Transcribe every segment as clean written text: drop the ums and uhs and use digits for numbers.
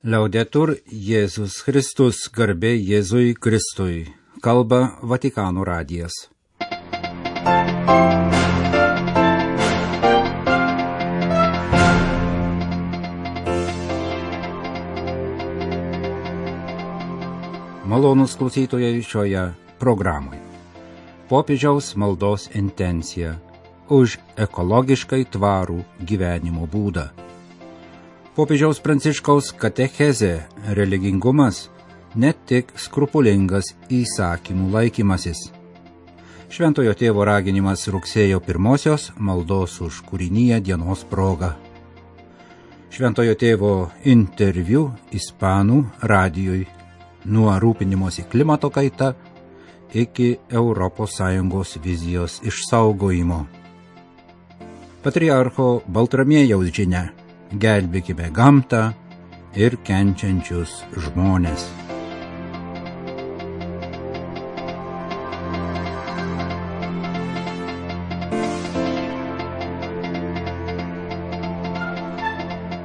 Liaudetur Jėzus Kristus, garbė Jėzui Kristui, kalba Vatikano radijas. Malonūs klausytojai šioje programoje. Popiežiaus maldos intencija už ekologiškai tvarų gyvenimo būdą. Popiežiaus Pranciškaus katechezė religingumas ne tik skrupulingas įsakymų laikymasis. Šventojo tėvo raginimas rugsėjo 1-osios maldos už kūriniją dienos proga. Šventojo tėvo interviu ispanų radijui nuo rūpinimosi klimato kaita iki ES vizijos išsaugojimo. Patriarcho Baltramiejaus žinia: gelbėkime gamtą ir kenčiančius žmones.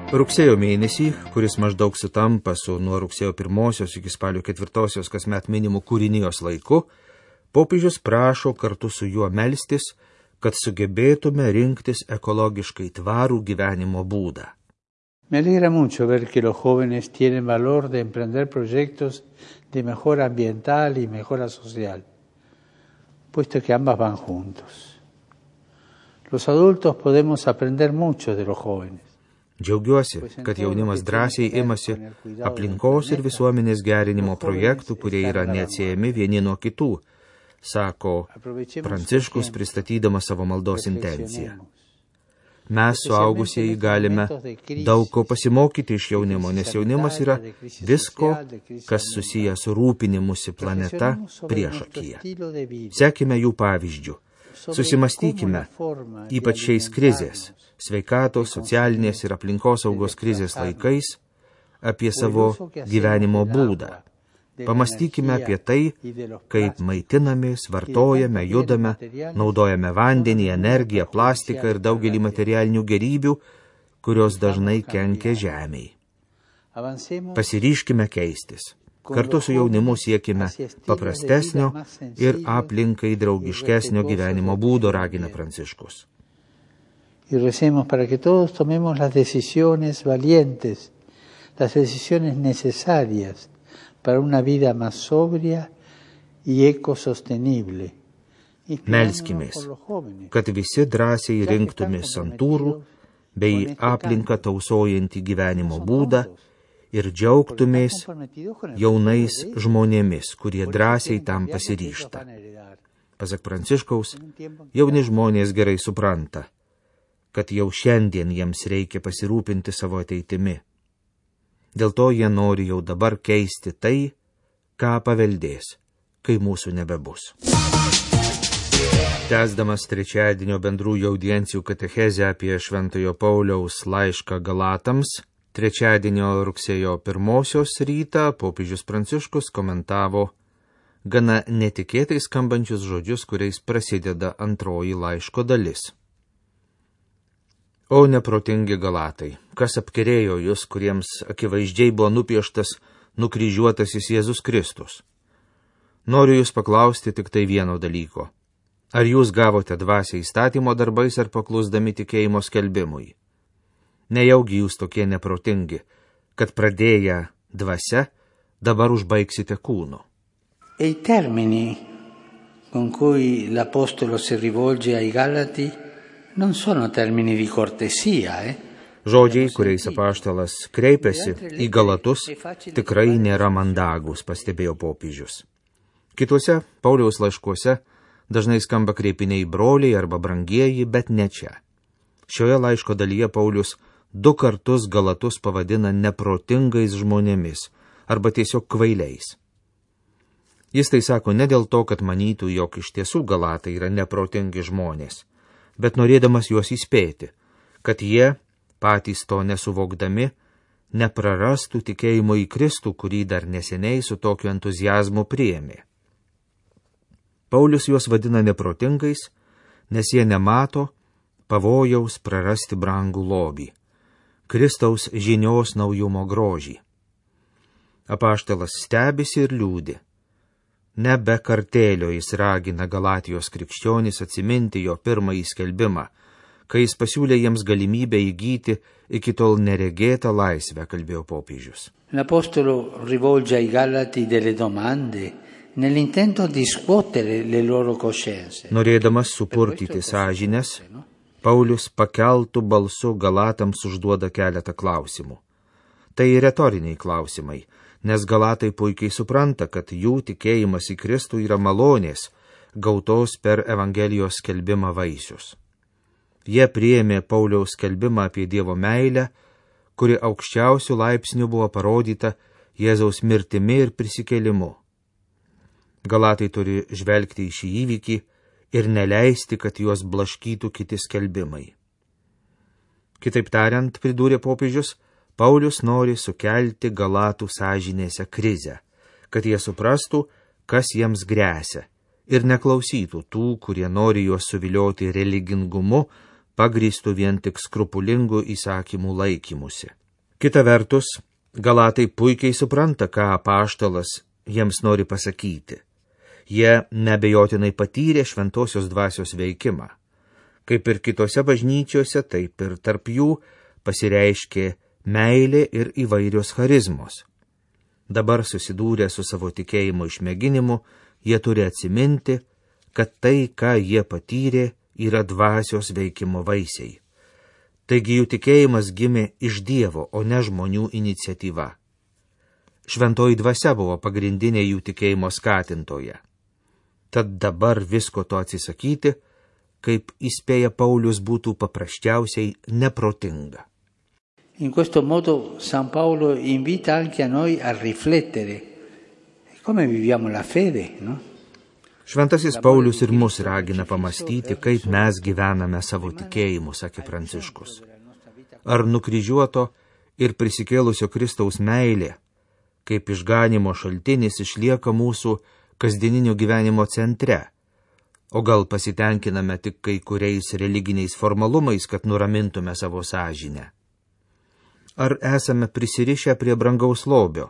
Rugsėjo mėnesį, kuris maždaug sutampa su nuo rugsėjo 1 iki spalio 4 kasmet minimu kūrinijos laiku, popiežius prašo kartu su juo melstis, kad sugebėtume rinktis ekologiškai tvarų gyvenimo būdą. Me alegra mucho ver que los jóvenes tienen valor de emprender proyectos de mejora ambiental y mejora social, puesto que ambas van juntos. Los adultos podemos aprender mucho de los jóvenes. Džiaugiuosi, kad jaunimas drąsiai imasi aplinkos ir visuomenės gerinimo projektų, kurie yra neatsiejami vieni nuo kitų, sako Pranciškus pristatydamas savo maldos intenciją. Mes, suaugusieji, galime daug ko pasimokyti iš jaunimo, nes jaunimas yra visko, kas susiję su rūpinimusi planeta priešakyje. Sekime jų pavyzdžių. Susimastykime, ypač šiais krizės, sveikatos, socialinės ir aplinkosaugos krizės laikais, apie savo gyvenimo būdą. Pamastykime apie tai, kaip maitinamės, vartojame, judame, naudojame vandenį, energiją, plastiką ir daugelį materialinių gerybių, kurios dažnai kenkia žemei. Pasiryžkime keistis. Kartu su jaunimu siekime paprastesnio ir aplinkai draugiškesnio gyvenimo būdo, ragina Pranciškus. Y recemos para que todos tomemos las decisiones valientes, las decisiones necesarias para una vida más sobria y ecosostenible. Melskimės, kad visi drąsiai rinktumės santūrų bei aplinką tausojantį gyvenimo būdą ir džiaugtumės jaunais žmonėmis, kurie drąsiai tam pasiryžta. Pasak Pranciškaus, jauni žmonės gerai supranta, kad jau šiandien jiems reikia pasirūpinti savo ateitimi. Dėl to jie nori jau dabar keisti tai, ką paveldės, kai mūsų nebebus. Tęsdamas trečiadienio bendrųjų audiencijų katechezę apie Šventojo Pauliaus laišką Galatams, trečiadienio rugsėjo 1 rytą popiežius Pranciškus komentavo gana netikėtai skambančius žodžius, kuriais prasideda antroji laiško dalis. O neprotingi Galatai, kas apkerėjo jūs, kuriems akivaizdžiai buvo nupieštas nukryžiuotasis Jėzus Kristus? Noriu jūs paklausti tik tai vieno dalyko. Ar jūs gavote dvasią įstatymo darbais ar paklusdami tikėjimo skelbimui? Nejaugi jūs tokie neprotingi, kad pradėję dvasia, dabar užbaigsite kūnu. E i termini con cui l'apostolo si rivolge ai Galati non sono termini di cortesia, Žodžiai, kuriais apaštalas kreipiasi į Galatus, tikrai nėra mandagūs, pastebėjo popiežius. Kituose Pauliaus laiškuose dažnai skamba kreipiniai broliai arba brangieji, bet ne čia. Šioje laiško dalyje Paulius 2 kartus Galatus pavadina neprotingais žmonėmis arba tiesiog kvailiais. Jis tai sako ne dėl to, kad manytų, jog iš tiesų Galatai yra neprotingi žmonės, bet norėdamas juos įspėti, kad jie, patys to nesuvokdami, neprarastų tikėjimo į Kristų, kurį dar neseniai su tokiu entuzijazmu priėmė. Paulius juos vadina neprotingais, nes jie nemato pavojaus prarasti brangų lobį, Kristaus žinios naujumo grožį. Apaštalas stebisi ir liūdi. Ne be kartėlio jis ragina Galatijos krikščionys atsiminti jo pirmąjį skelbimą, kai jis pasiūlė jiems galimybę įgyti iki tol neregėtą laisvę, kalbėjo popiežius. L'Apostolo rivolge ai Galati delle domande nell'intento di scuotere le loro coscienze. Norėdamas supurtyti sąžines, Paulius pakeltų balsu Galatams užduoda keletą klausimų. Tai retoriniai klausimai, nes Galatai puikiai supranta, kad jų tikėjimas į Kristų yra malonės, gautos per Evangelijos skelbimą vaisius. Jie priėmė Pauliaus skelbimą apie Dievo meilę, kuri aukščiausių laipsnių buvo parodyta Jėzaus mirtimi ir prisikėlimu. Galatai turi žvelgti į šį įvykį ir neleisti, kad juos blaškytų kiti skelbimai. Kitaip tariant, pridūrė popiežius, Paulius nori sukelti Galatų sąžinėse krizę, kad jie suprastų, kas jiems gresia, ir neklausytų tų, kurie nori juos suvilioti religingumu, pagrįstų vien tik skrupulingų įsakymų laikymusi. Kita vertus, Galatai puikiai supranta, ką apaštalas jiems nori pasakyti. Jie neabejotinai patyrė šventosios dvasios veikimą. Kaip ir kitose bažnyčiose, taip ir tarp jų pasireiškė meilė ir įvairios charizmos. Dabar susidūrę su savo tikėjimo išmėginimu, jie turi atsiminti, kad tai, ką jie patyrė, yra dvasios veikimo vaisiai. Taigi jų tikėjimas gimė iš Dievo, o ne žmonių iniciatyva. Šventoji dvasia buvo pagrindinė jų tikėjimo skatintoja. Tad dabar visko to atsisakyti, kaip įspėja Paulius, būtų paprasčiausiai neprotinga. In questo modo San Paolo invita anche a noi a riflettere come viviamo la fede, no? Šventasis Paulius ir mus ragina pamastyti, kaip mes gyvename savo tikėjimu, sakė Pranciškus. Ar nukryžiuoto ir prisikėlusio Kristaus meilė, kaip išganimo šaltinis, išlieka mūsų kasdieninio gyvenimo centre, o gal pasitenkiname tik kai kuriais religiniais formalumais, kad nuramintume savo sąžinę? Ar esame prisirišę prie brangaus lobio,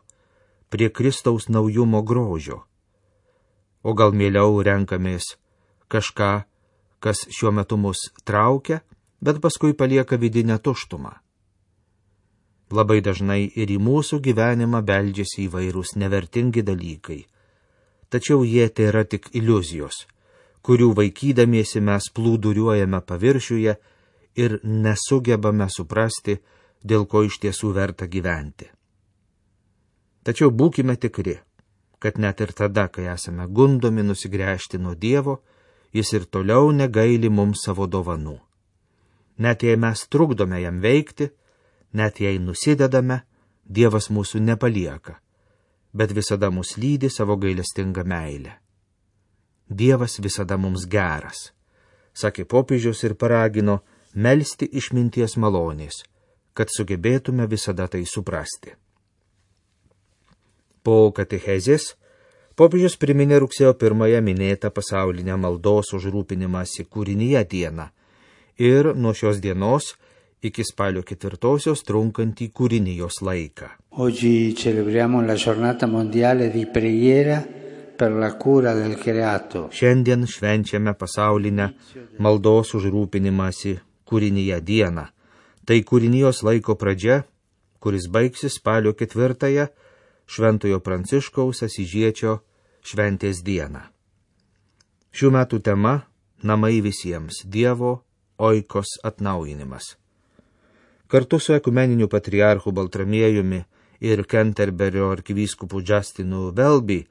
prie Kristaus naujumo grožio? O gal mieliau renkamės kažką, kas šiuo metu mus traukia, bet paskui palieka vidinę tuštumą? Labai dažnai ir į mūsų gyvenimą beldžiasi įvairūs nevertingi dalykai, tačiau jie tai yra tik iliuzijos, kurių vaikydamiesi mes plūduriuojame paviršiuje ir nesugebame suprasti, dėl ko iš tiesų verta gyventi. Tačiau būkime tikri, kad net ir tada, kai esame gundomi nusigręžti nuo Dievo, jis ir toliau negaili mums savo dovanų. Net jei mes trukdome jam veikti, net jei nusidedame, Dievas mūsų nepalieka, bet visada mus lydi savo gailestingą meilę. Dievas visada mums geras, sakė popiežius ir paragino melsti išminties malonės, kad sugebėtume visada tai suprasti. Po katechezės popiežius priminė rugsėjo 1 minėtą pasaulinę maldos už rūpinimąsi kūrinyje dieną ir nuo šios dienos iki spalio 4 trunkantį kūrinijos laiką. Oggi celebriamo la giornata mondiale di preghiera per la cura del creato. Šiandien švenčiame pasaulinę maldos už rūpinimąsi kūrinyje dieną. Tai kūrinijos laiko pradžia, kuris baigsis spalio 4 Šventojo Pranciškaus Asyžiečio šventės dieną. Šių metų tema – namai visiems, Dievo oikos atnaujinimas. Kartu su ekumeniniu patriarchu Baltramiejumi ir Kenterberio arkivyskupu Justinu Welby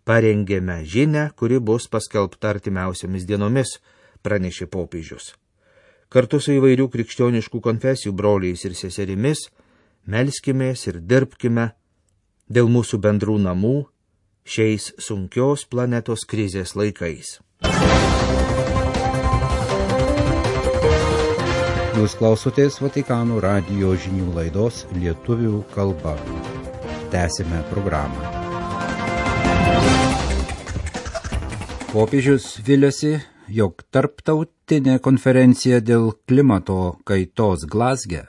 parengėme žinią, kuri bus paskelbta artimiausiamis dienomis, pranešė popiežius. Kartu su įvairių krikščioniškų konfesijų broliais ir seserimis melskimės ir dirbkime dėl mūsų bendrų namų šiais sunkios planetos krizės laikais. Jūs klausotės Vatikano radijo žinių laidos lietuvių kalba. Tęsime programą. Popiežius viliasi, jog tarptautinė konferencija dėl klimato kaitos Glazge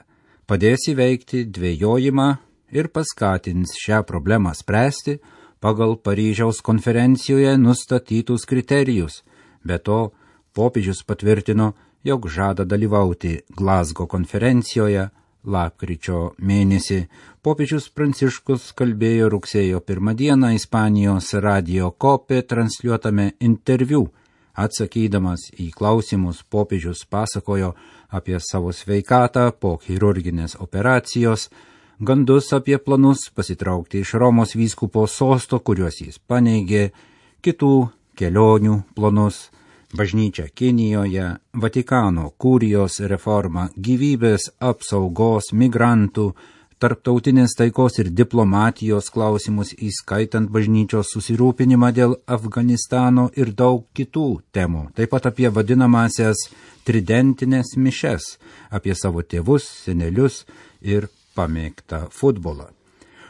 padės įveikti dvejojimą ir paskatins šią problemą spręsti pagal Paryžiaus konferencijoje nustatytus kriterijus. Be to, popiežius patvirtino, jog žada dalyvauti Glazgo konferencijoje lapkričio mėnesį. Popiežius Pranciškus kalbėjo rugsėjo 1 dieną Ispanijos radio Cope transliuotame interviu. Atsakydamas į klausimus, popiežius pasakojo apie savo sveikatą po chirurginės operacijos, gandus apie planus pasitraukti iš Romos vyskupo sosto, kuriuos jis paneigė, kitų kelionių planus, bažnyčia Kinijoje, Vatikano kurijos reforma, gyvybės apsaugos, migrantų, tarptautinės taikos ir diplomatijos klausimus, įskaitant bažnyčios susirūpinimą dėl Afganistano ir daug kitų temų. Taip pat apie vadinamasias tridentinės mišes, apie savo tėvus, senelius ir pamėgtą futbolą.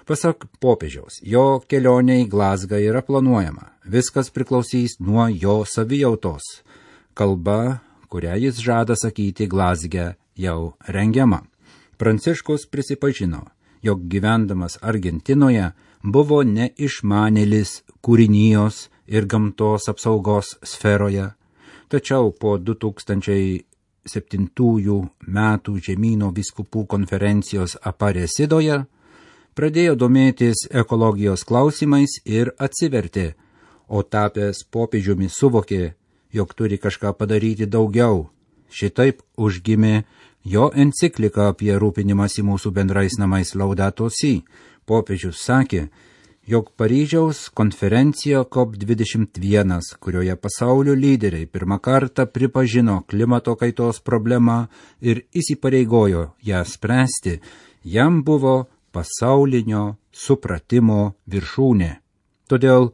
Pasak popiežiaus, jo kelionė į Glazgą yra planuojama. Viskas priklausys nuo jo savijautos. Kalba, kurią jis žada sakyti Glazge, jau rengiama. Pranciškus prisipažino, jog gyvendamas Argentinoje buvo neišmanėlis kūrinijos ir gamtos apsaugos sferoje, tačiau po 2007 metų žemyno vyskupų konferencijos Aparecidoje pradėjo domėtis ekologijos klausimais ir atsivertė, o tapęs popiežiumi suvokė, jog turi kažką padaryti daugiau. Šitaip užgimė jo enciklika apie rūpinimąsi mūsų bendrais namais Laudato Si. Popiežius sakė, jog Paryžiaus konferencija COP21, kurioje pasaulio lyderiai pirmą kartą pripažino klimato kaitos problemą ir įsipareigojo ją spręsti, jam buvo pasaulinio supratimo viršūnė. Todėl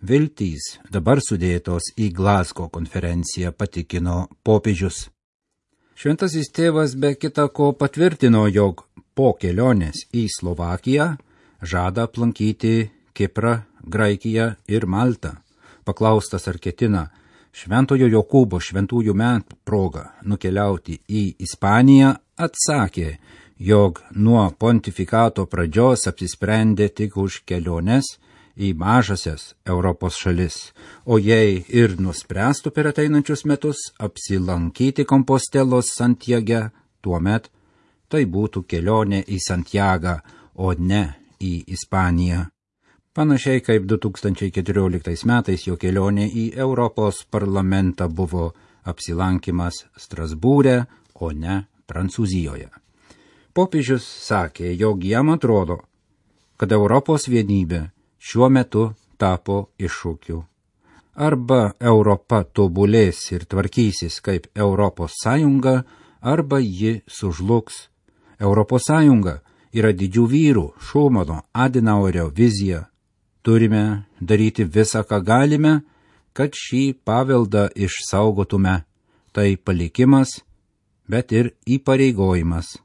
viltys dabar sudėtos į Glazgo konferenciją, patikino popiežius. Šventasis tėvas be kita ko patvirtino, jog po kelionės į Slovakiją žada aplankyti Kiprą, Graikiją ir Maltą. Paklaustas, ar ketina Šventojo Jokūbo šventųjų metų proga nukeliauti į Ispaniją, atsakė, jog nuo pontifikato pradžios apsisprendė tik už keliones į mažasias Europos šalis, o jei ir nuspręstų per ateinančius metus apsilankyti Kompostelos Santiage, tuomet tai būtų kelionė į Santiagą, o ne į Ispaniją. Panašiai kaip 2014 metais jo kelionė į Europos parlamentą buvo apsilankimas Strasbūre, o ne Prancūzijoje. Popiežius sakė, jog jam atrodo, kad Europos vienybė šiuo metu tapo iššūkiu. Arba Europa tobulės ir tvarkysis kaip Europos Sąjunga, arba ji sužlugs. Europos Sąjunga yra didžių vyrų Šumano, Adenauerio vizija. Turime daryti visą, ką galime, kad šį paveldą išsaugotume. Tai palikimas, bet ir įpareigojimas.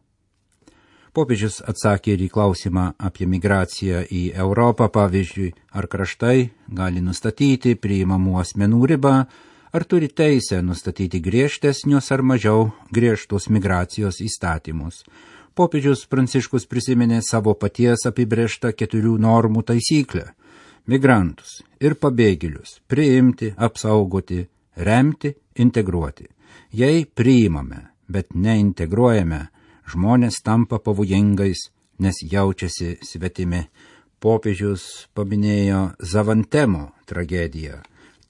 Popiežius atsakė ir į klausimą apie migraciją į Europą, pavyzdžiui, ar kraštai gali nustatyti priimamų asmenų ribą, ar turi teisę nustatyti griežtesnius ar mažiau griežtus migracijos įstatymus. Popiežius Pranciškus prisiminė savo paties apibrėžtą 4 normų taisyklę – migrantus ir pabėgėlius priimti, apsaugoti, remti, integruoti. Jei priimame, bet neintegruojame, žmonės tampa pavojingais, nes jaučiasi svetimi. Popiežius paminėjo Zavantemo tragediją,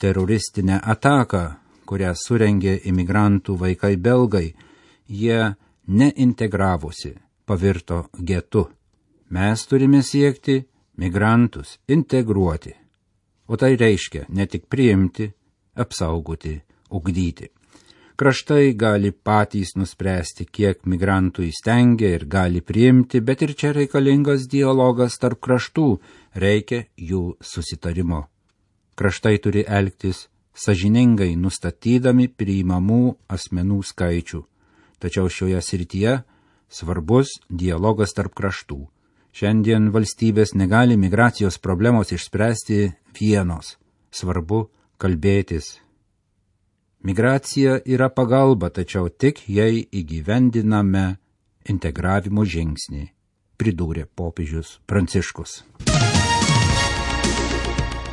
teroristinę ataką, kurią surengė imigrantų vaikai belgai. Jie neintegravosi, pavirto getu. Mes turime siekti migrantus integruoti. O tai reiškia ne tik priimti, apsaugoti, ugdyti. Kraštai gali patys nuspręsti, kiek migrantų įstengia ir gali priimti, bet ir čia reikalingas dialogas tarp kraštų, reikia jų susitarimo. Kraštai turi elgtis sąžiningai, nustatydami priimamų asmenų skaičių. Tačiau šioje srityje svarbus dialogas tarp kraštų. Šiandien valstybės negali migracijos problemos išspręsti vienos. Svarbu kalbėtis. Migracija yra pagalba, tačiau tik jei įgyvendiname integravimo žingsnį. pridūrė popiežius Pranciškus.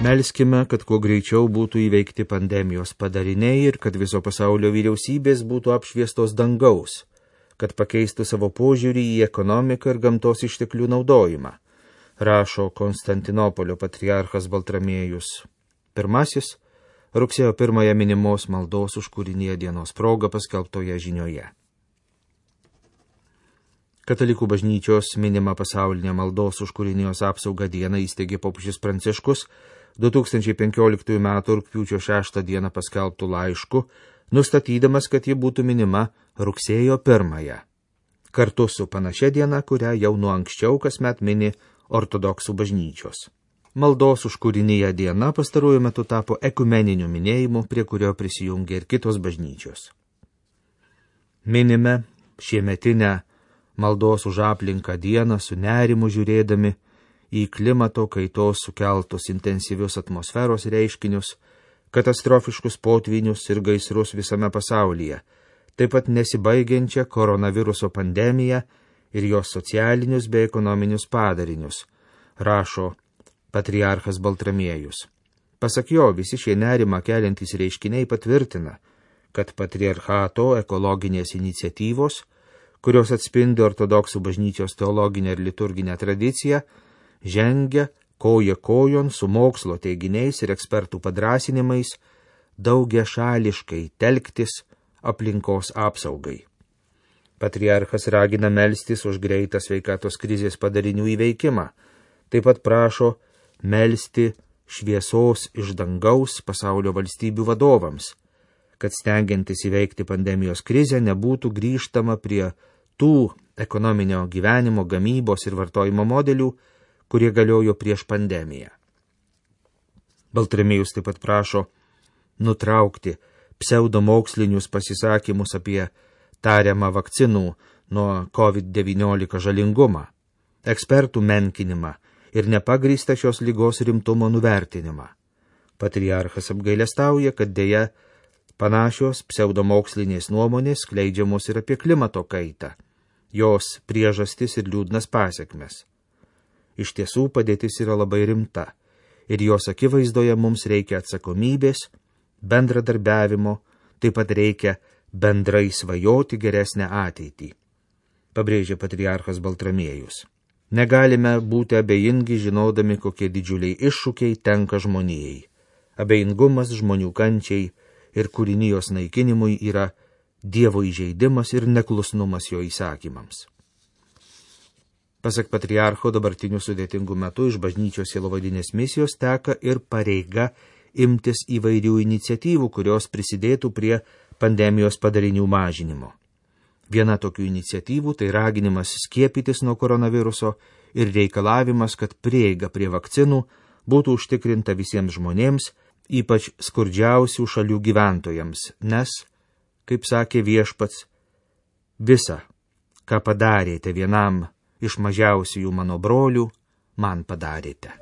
Melskime, kad kuo greičiau būtų įveikti pandemijos padariniai ir kad viso pasaulio vyriausybės būtų apšviestos dangaus, kad pakeistų savo požiūrį į ekonomiką ir gamtos išteklių naudojimą, rašo Konstantinopolio patriarchas Baltramiejus I rugsėjo 1 minimos maldos už kūriniją dienos proga paskelbtoje žinioje. Katalikų bažnyčios minima pasaulinė maldos už kūrinijos apsaugą dieną įsteigė popiežius Pranciškus 2015 m. rugpjūčio 6 d. paskelbtų laišku, nustatydamas, kad ji būtų minima rugsėjo 1, kartu su panašia diena, kurią jau nuo anksčiau kasmet mini ortodoksų bažnyčios. Maldos už kūriniją diena pastaruoju metu tapo ekumeniniu minėjimu, prie kurio prisijungė ir kitos bažnyčios. Minime šiemetinę maldos už aplinką dieną su nerimu žiūrėdami į klimato kaitos sukeltus intensyvius atmosferos reiškinius, katastrofiškus potvynius ir gaisrus visame pasaulyje, taip pat nesibaigiančią koronaviruso pandemiją ir jos socialinius bei ekonominius padarinius, rašo patriarchas Baltramiejus. Pasak jo, visi šie nerimą keliantys reiškiniai patvirtina, kad patriarchato ekologinės iniciatyvos, kurios atspindi ortodoksų bažnyčios teologinę ir liturginę tradiciją, žengia koja kojon su mokslo teiginiais ir ekspertų padrasinimais daugiašališkai telktis aplinkos apsaugai. Patriarchas ragina melstis už greitą sveikatos krizės padarinių įveikimą, taip pat prašo melsti šviesos iš dangaus pasaulio valstybių vadovams, kad stengiantis įveikti pandemijos krizę nebūtų grįžtama prie tų ekonominio gyvenimo, gamybos ir vartojimo modelių, kurie galiojo prieš pandemiją. Baltramiejus taip pat prašo nutraukti pseudomokslinius pasisakymus apie tariamą vakcinų nuo COVID-19 žalingumą, ekspertų menkinimą ir nepagrįstą šios ligos rimtumo nuvertinimą. Patriarchas apgailestauja, kad deja panašios pseudomokslinės nuomonės skleidžiamos ir apie klimato kaitą, jos priežastis ir liūdnas pasekmes. Iš tiesų padėtis yra labai rimta ir jos akivaizdoje mums reikia atsakomybės, bendradarbiavimo, taip pat reikia bendrai svajoti geresnę ateitį, pabrėžė patriarchas Baltramiejus. Negalime būti abejingi, žinodami, kokie didžiuliai iššūkiai tenka žmonijai. Abejingumas žmonių kančiai ir kūrinijos naikinimui yra Dievo įžeidimas ir neklusnumas jo įsakymams. Pasak patriarcho, dabartiniu sudėtingu metu iš bažnyčios sielovadinės misijos teka ir pareiga imtis įvairių iniciatyvų, kurios prisidėtų prie pandemijos padarinių mažinimo. Viena tokių iniciatyvų tai raginimas skiepytis nuo koronaviruso ir reikalavimas, kad prieiga prie vakcinų būtų užtikrinta visiems žmonėms, ypač skurdžiausių šalių gyventojams, nes, kaip sakė Viešpats, visa, ką padarėte vienam iš mažiausiųjų mano brolių, man padarėte.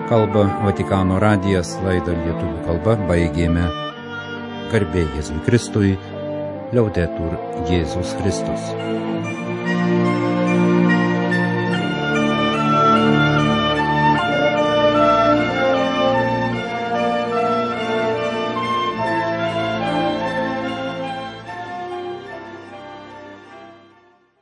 Kalba Vatikano radijas, laidą lietuvių kalba baigėme. Garbė Jėzui Kristui, Liaudetur Jėzus Kristus.